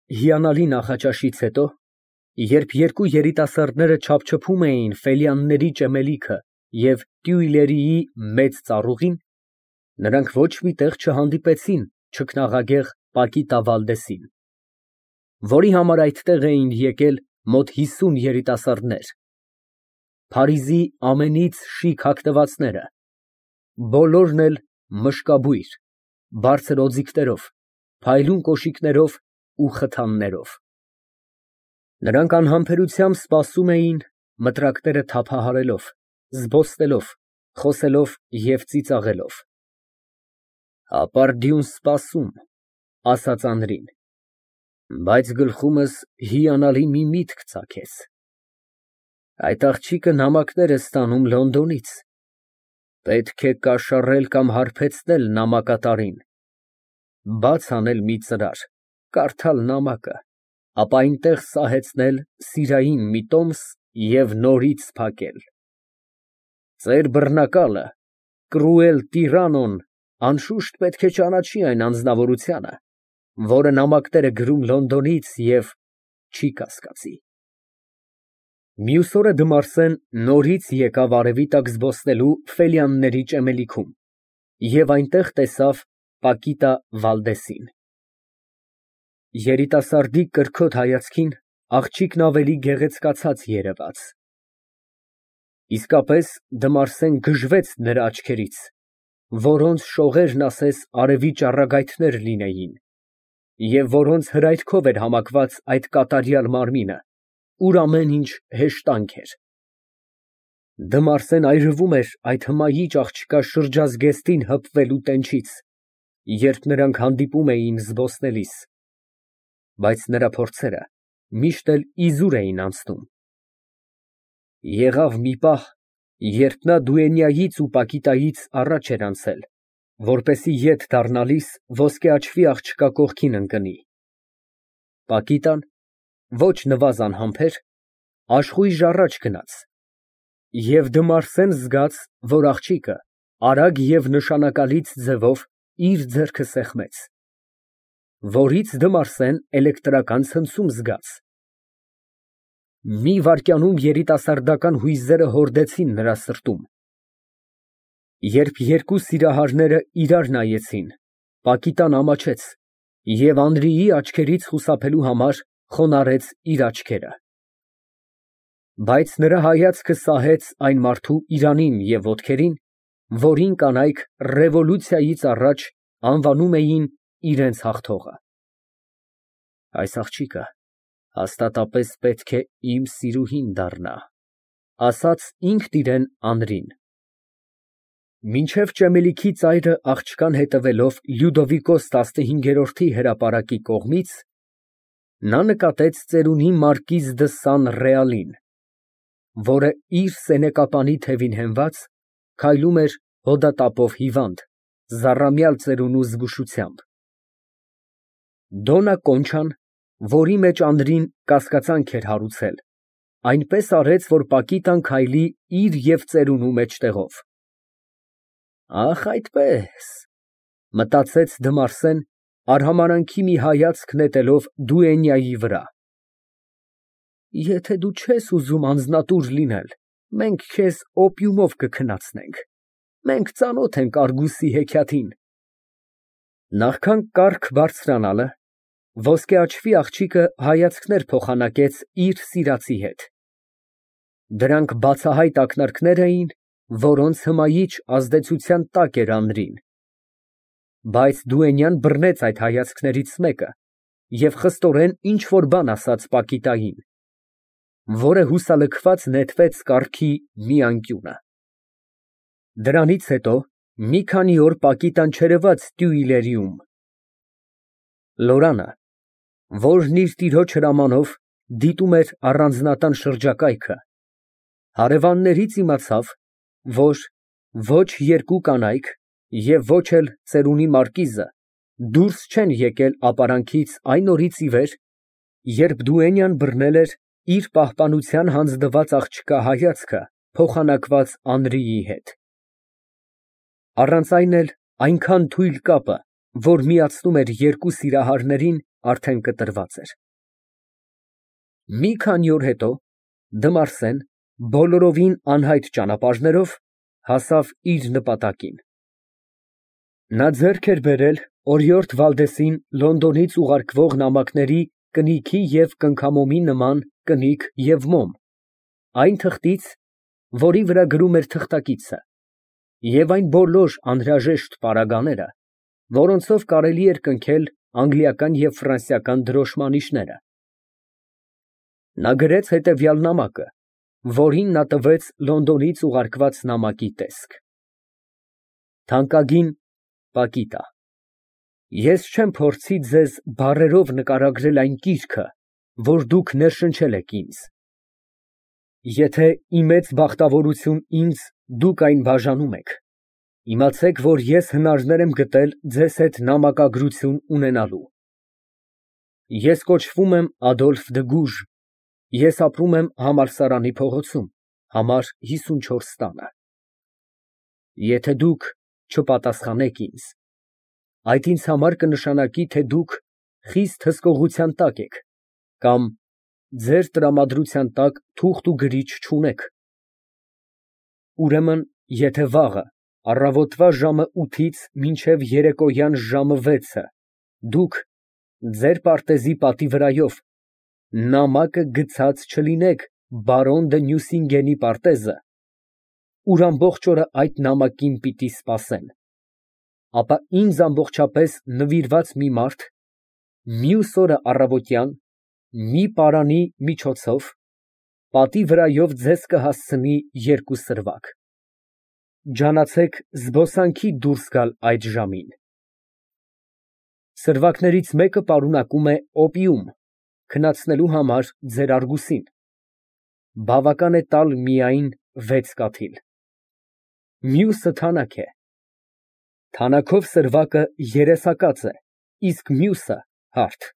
Հիանալի նախաճաշից հետո, երբ երկու երիտասարդները չափչփում էին Ֆելյանների ճեմելիքը և Տյուիլերիի մեծ ծառուղին, նրանք ոչ մի տեղ չհանդիպեցին չքնաղագեղ Պակիտա Վալդեսին, որի համար այդտեղ էին եկել մոտ 50 երիտասարդներ, Փարիզի ամենից շիկ հագնվածները, բոլորն էլ մշկաբույր, բարձր օձիքներով, փայլուն կոշիկներով ու խթաններով։ Նրանք անհամբերությամբ սպասում էին, մտրակները թափահարելով, զբոսնելով, խոսելով և ծիծաղելով։ «Ապարդյուն սպասում», ասաց Անդրին, բայց գլխումս հիանալի մի միտք ծագեց։ Այդ աղջիկը նամակներ է ստանում Լոնդոնից, պետք է կաշառել կամ հարբեցնել նամակատարին, բաց անել մի ծրար, կարդալ նամակը, ապա այնտեղ սահեցնել սիրային մի տոմս և նորից փակել։ Ձեր բռնակալը, Կրուել տիրանոն, անշուշտ պետք է ճանաչի այն անձնավորությանը, որը նամակներ է գրում Լոնդոնից և չի կասկածի։ Մյուս օրը Դմարսեն նորից եկավ արևի տակ զբոսնելու Ֆելյանների ճեմելիքում և այնտեղ տեսավ Պակիտա Վալդեսին։ Երիտասարդի կրքոտ հայացքին աղջիկն ավելի գեղեցկացած երևաց։ Իսկապես Դմարսեն գժվեց նրա աչքերից, որոնց շողերն ասես արևի ճառագայթներ լինեին, և որոնց հրայքով էր համակված այդ կատարյալ մարմինը, ուր ամեն ինչ հեշտանք էր։ Դմարսեն այրվում էր այդ հմայիչ աղջկա շրջազգեստին հպվելու տենչից, երբ նրանք հանդիպում էին զբոսնելիս, բայց նրա փորձերը միշտ էլ իզուր էին անցնում։ Եղավ մի պահ, երբ նա դուենյայից ու Պակիտայից առաջ էր անցել, որպեսզի ետ դառնալիս ոսկե աչվի աղջկա կողքին ընկնի։ Պակիտան, ոչ նվազան համբեր, աշխույժ առաջ գնաց, և Դմարսեն զգաց, որ աղջիկը արագ և նշանակալից ձևով իր ձեռքը սեղմեց, որից Դմարսեն էլեկտրական ցնցում զգաց։ Մի վայրկյանում երիտասարդական հույզերը հորդեցին նրա սրտում։ Երբ երկու սիրահարները իրար նայեցին, Պակիտան ամաչեց և Անդրեի աչքերից խուսափելու համար խոնարհեց իր աչքերը։ Բայց նրա հայացքը սահեց այն մարդու իրանին և ոտքերին, որին կանայք ռևոլյուցիայից առաջ անվանում էին իրենց հաղթողը։ Այս աղջիկը հաստատապես պետք է իմ սիրուհին դառնա, ասաց ինքն իրան Անդրին։ Մինչև ճեմելիքի ծայրը աղջկան հետևելով Լյուդովիկոս 15-րդի հրապարակի կողմից, նա նկատեց ծերունի մարկիզ դը Սան Ռեալին, որը իր սենեկապանի թևին հենված, քայլում էր հոդատապով հիվանդ, զառամյալ ծերունու զգուշությամբ։ Դոննա Կոնչան, որի մեջ Անդրին կասկածանք էր հարուցել, այնպես արեց, որ Պակիտան քայլի իր և ծերունու մեջտեղով։ Ախ, այդպես, մտածեց Դմարսեն, արհամարհանքի մի հայացք նետելով դուենյայի վրա։ Եթե դու չես ուզում անձնատուր լինել, մենք քեզ օպիումով կքնացնենք, մենք ծանոթ ենք Արգուսի հեքիաթին։ Նախքան կառք բարձրանալը, ոսկե աչվի աղջիկը հայացքներ փոխանակեց իր սիրածի հետ։ Դրանք բացահայտ ակնարկներ էին, որոնց հմայիչ ազդեցության տակ էր Անդրին։ Բայց դուենյան բռնեց այդ հայացքներից մեկը և խստորեն ինչ֊որ բան ասաց Պակիտային, որը հուսալքված նետվեց կառքի մի անկյունը։ Դրանից հետո մի քանի օր Պակիտան չերևաց Տյուիլերիում։ Լորանը, որն իր տիրոջ հրամանով դիտում էր առանձնատան շրջակայքը, հարևաններից իմացավ, որ ոչ երկու կանայք և ոչ էլ ծերունի մարկիզը դուրս չեն եկել ապարանքից այն օրից ի վեր, երբ դուենյան բռնել էր իր պահպանության հանձնված աղջկա հայացքը փոխանակված Անդրեի հետ։ Առանց այն էլ այնքան թույլ կապը, որ միացնում էր երկու սիրահարներին, արդեն կտրված էր։ Մի քանի օր հետո Դմարսեն բոլորովին անհայտ ճանապարհներով հասավ իր նպատակին։ Նա ձեռք էր բերել օրիորդ Վալդեսին Լոնդոնից ուղարկվող նամակների կնիքի և կնքամոմի նման կնիկ և մոմ, այն թղթից, որի վրա գրում էր թղթակիցը, և այն բոլոր անհրաժեշտ պարագաները, որոնցով կարելի էր կնքել անգլիական և ֆրանսիական դրոշմանիշները։ Նա գրեց հետևյալ նամակը, որին նա տվեց Լոնդոնից ուղարկված նամակի տեսք. Թանկագին Պակիտա, ես չեմ փորձի ձեզ բառերով նկարագրել այն կիրքը, որ դուք ներշնչել եք ինձ։ Եթե ի մեծ բախտավորություն ինձ դուք այն բաժանում եք, իմացեք, որ ես հնարներ եմ գտել ձեզ հետ նամակագրություն ունենալու։ Ես կոչվում եմ Ադոլֆ Դգուժ, ես ապրում եմ համալսարանի փողոցում, համար 54 տանը։ Եթե դուք չպատասխանեք ինձ, այդ ինձ համար կնշանակի, թե դուք խիստ հսկողության տակ եք կամ ձեր տրամադրության տակ թուղթ ու գրիչ չունեք։ Ուրեմն, եթե վաղը առավոտվա ժամը 8-ից մինչև երեկոյան ժամը 6-ը դուք ձեր պարտեզի պատի վրայով նամակը գցած չլինեք բարոն դը Նյուսինգենի պարտեզը, ուր ամբողջ օրը այդ նամակին պիտի սպասեն, ապա ինձ ամբողջապես նվիրված մի մարդ մյուս օրը առավոտյան մի պարանի միջոցով պատի վրայով ձեզ կհասցնի 2 սրվակ։ Ջանացեք զբոսանքի դուրս գալ այդ ժամին։ Սրվակներից մեկը պարունակում է օպիում, քնացնելու համար ձեր արգուսին, բավական է տալ միայն 6 կաթիլ։ Մյուսը թանաք է։ Թանաքով սրվակը երեսակաց է, իսկ մյուսը հարթ։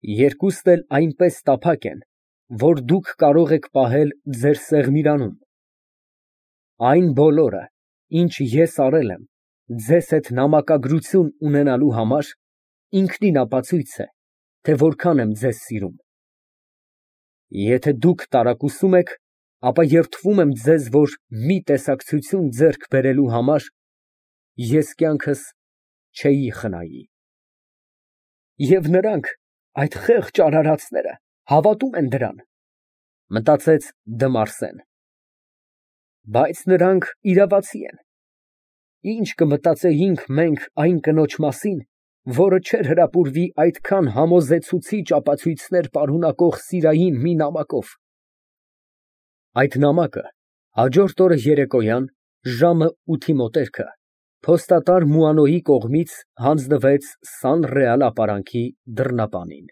Երկուստ էլ այնպես տափակ են, որ դուք կարող եք պահել ձեր սեղմիրանում։ Այն բոլորը, ինչ ես արել եմ ձեզ հետ նամակագրություն ունենալու համար, ինքնին ապացույց է, թե որքան եմ ձեզ սիրում։ Եթե դուք տարակուսում եք, ապա երդվում եմ ձեզ, որ մի տեսակցություն ձեռք բերելու համար ես կյանքս չէի խնայի։ Եվ նրանք, այդ խեղճ արարածները, հավատում են դրան, մտածեց Դմարսեն։ Բայց նրանք իրավացի են։ Ինչ կմտածեինք մենք այն կնոջ մասին, որը չէր հրապուրվի այդքան համոզեցուցիչ ապացույցներ պարունակող սիրային մի նամակով։ Այդ նամակը հաջորդ օրը երեկոյան ժամը 8-ի մոտերքը փոստատար Մուանոյի կողմից հանձնվեց Սան Ռեալ ապարանքի դռնապանին։